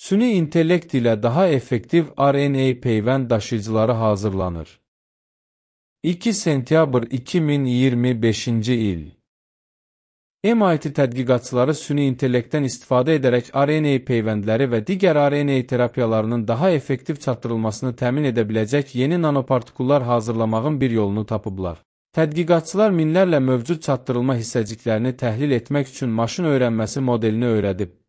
Süni intellekt ilə daha effektiv RNA peyvənd daşıyıcıları hazırlanır. 2 sentyabr 2025-ci il. MIT tədqiqatçıları süni intellektdən istifadə edərək RNA peyvəndləri və digər RNA terapiyalarının daha effektiv çatdırılmasını təmin edə biləcək yeni nanopartikullar hazırlamağın bir yolunu tapıblar. Tədqiqatçılar minlərlə mövcud çatdırılma hissəciklərini təhlil etmək üçün maşın öyrənməsi modelini öyrədib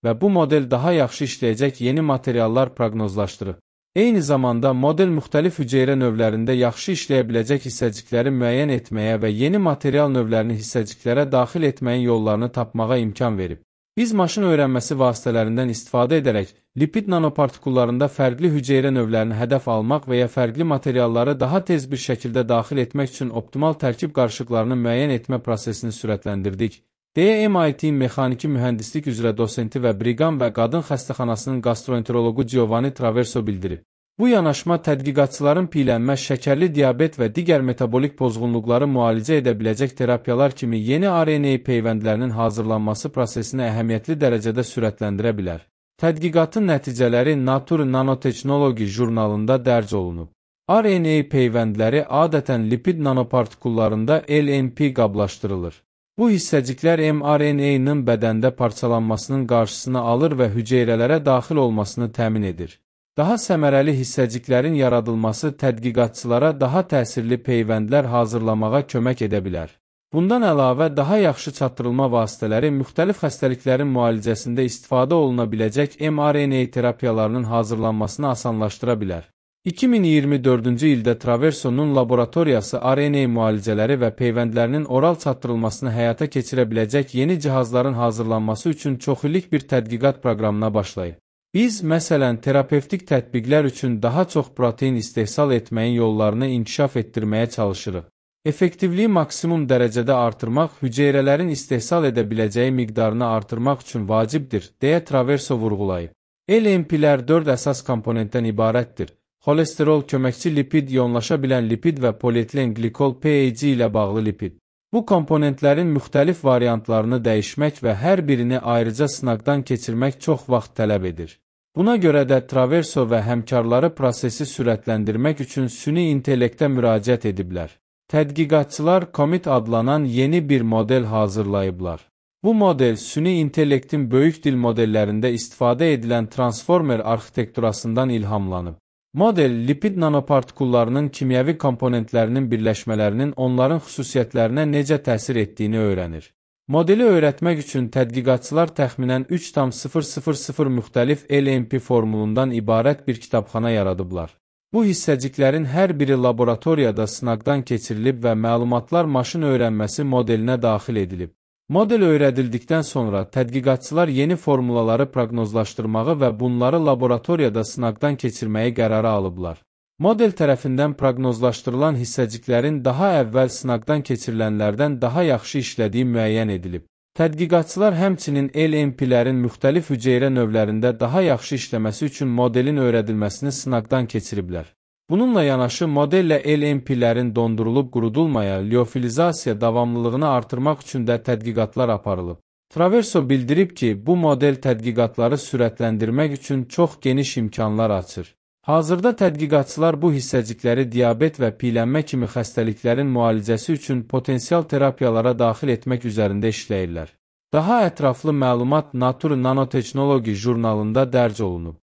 və bu model daha yaxşı işləyəcək yeni materiallar proqnozlaşdırır. Eyni zamanda model müxtəlif hüceyrə növlərində yaxşı işləyə biləcək hissəcikləri müəyyən etməyə və yeni material növlərini hissəciklərə daxil etməyin yollarını tapmağa imkan verib. Biz maşın öyrənməsi vasitələrindən istifadə edərək lipid nanopartikullarında fərqli hüceyrə növlərini hədəf almaq və ya fərqli materialları daha tez bir şəkildə daxil etmək üçün optimal tərkib qarışıqlarını müəyyən etmə prosesini sürətləndirdik, deyə MIT mexaniki mühəndislik üzrə dosenti və Brigham və Qadın Xəstəxanasının gastroenteroloqu Giovanni Traverso bildirib. Bu yanaşma tədqiqatçıların piyələnmə, şəkərli diabet və digər metabolik pozğunluqları müalicə edə biləcək terapiyalar kimi yeni RNA peyvəndlərinin hazırlanması prosesini əhəmiyyətli dərəcədə sürətləndirə bilər. Tədqiqatın nəticələri Nature Nanotechnology jurnalında dərc olunub. RNA peyvəndləri adətən lipid nanopartikullarında LNP qablaşdırılır. Bu hissəciklər mRNA-nın bədəndə parçalanmasının qarşısını alır və hüceyrələrə daxil olmasını təmin edir. Daha səmərəli hissəciklərin yaradılması tədqiqatçılara daha təsirli peyvəndlər hazırlamağa kömək edə bilər. Bundan əlavə, daha yaxşı çatdırılma vasitələri müxtəlif xəstəliklərin müalicəsində istifadə oluna biləcək mRNA terapiyalarının hazırlanmasını asanlaşdıra bilər. 2024-cü ildə Traversonun laboratoriyası RNA müalicələri və peyvəndlərinin oral çatdırılmasını həyata keçirə biləcək yeni cihazların hazırlanması üçün çoxillik bir tədqiqat proqramına başlayıb. Biz, məsələn, terapevtik tətbiqlər üçün daha çox protein istehsal etməyin yollarını inkişaf etdirməyə çalışırıq. Effektivliyi maksimum dərəcədə artırmaq, hüceyrələrin istehsal edə biləcəyi miqdarını artırmaq üçün vacibdir, deyə Traverso vurğulayıb. LNP-lər 4 əsas komponentdən ibarətdir. Xolesterol, köməkçi lipid, ionlaşa bilən lipid və polietilen qlikol PAG ilə bağlı lipid. Bu komponentlərin müxtəlif variantlarını dəyişmək və hər birini ayrıca sınaqdan keçirmək çox vaxt tələb edir. Buna görə də Traverso və həmkarları prosesi sürətləndirmək üçün süni intellektə müraciət ediblər. Tədqiqatçılar Comet adlanan yeni bir model hazırlayıblar. Bu model süni intellektin böyük dil modellərində istifadə edilən transformer arxitekturasından ilhamlanıb. Model, lipid nanopartikullarının kimyəvi komponentlərinin birləşmələrinin onların xüsusiyyətlərinə necə təsir etdiyini öyrənir. Modeli öyrətmək üçün tədqiqatçılar təxminən 3,000 müxtəlif LNP formulundan ibarət bir kitabxana yaradıblar. Bu hissəciklərin hər biri laboratoriyada sınaqdan keçirilib və məlumatlar maşın öyrənməsi modelinə daxil edilib. Model öyrədildikdən sonra tədqiqatçılar yeni formulaları proqnozlaşdırmağı və bunları laboratoriyada sınaqdan keçirməyi qərara alıblar. Model tərəfindən proqnozlaşdırılan hissəciklərin daha əvvəl sınaqdan keçirilənlərdən daha yaxşı işlədiyi müəyyən edilib. Tədqiqatçılar həmçinin LNP-lərin müxtəlif hüceyrə növlərində daha yaxşı işləməsi üçün modelin öyrədilməsini sınaqdan keçiriblər. Bununla yanaşı, modellə LNP-lərin dondurulub qurudulmaya, liofilizasiya davamlılığını artırmaq üçün də tədqiqatlar aparılıb. Traverso bildirib ki, bu model tədqiqatları sürətləndirmək üçün çox geniş imkanlar açır. Hazırda tədqiqatçılar bu hissəcikləri diabet və piyələnmə kimi xəstəliklərin müalicəsi üçün potensial terapiyalara daxil etmək üzərində işləyirlər. Daha ətraflı məlumat Nature Nanotechnology jurnalında dərc olunub.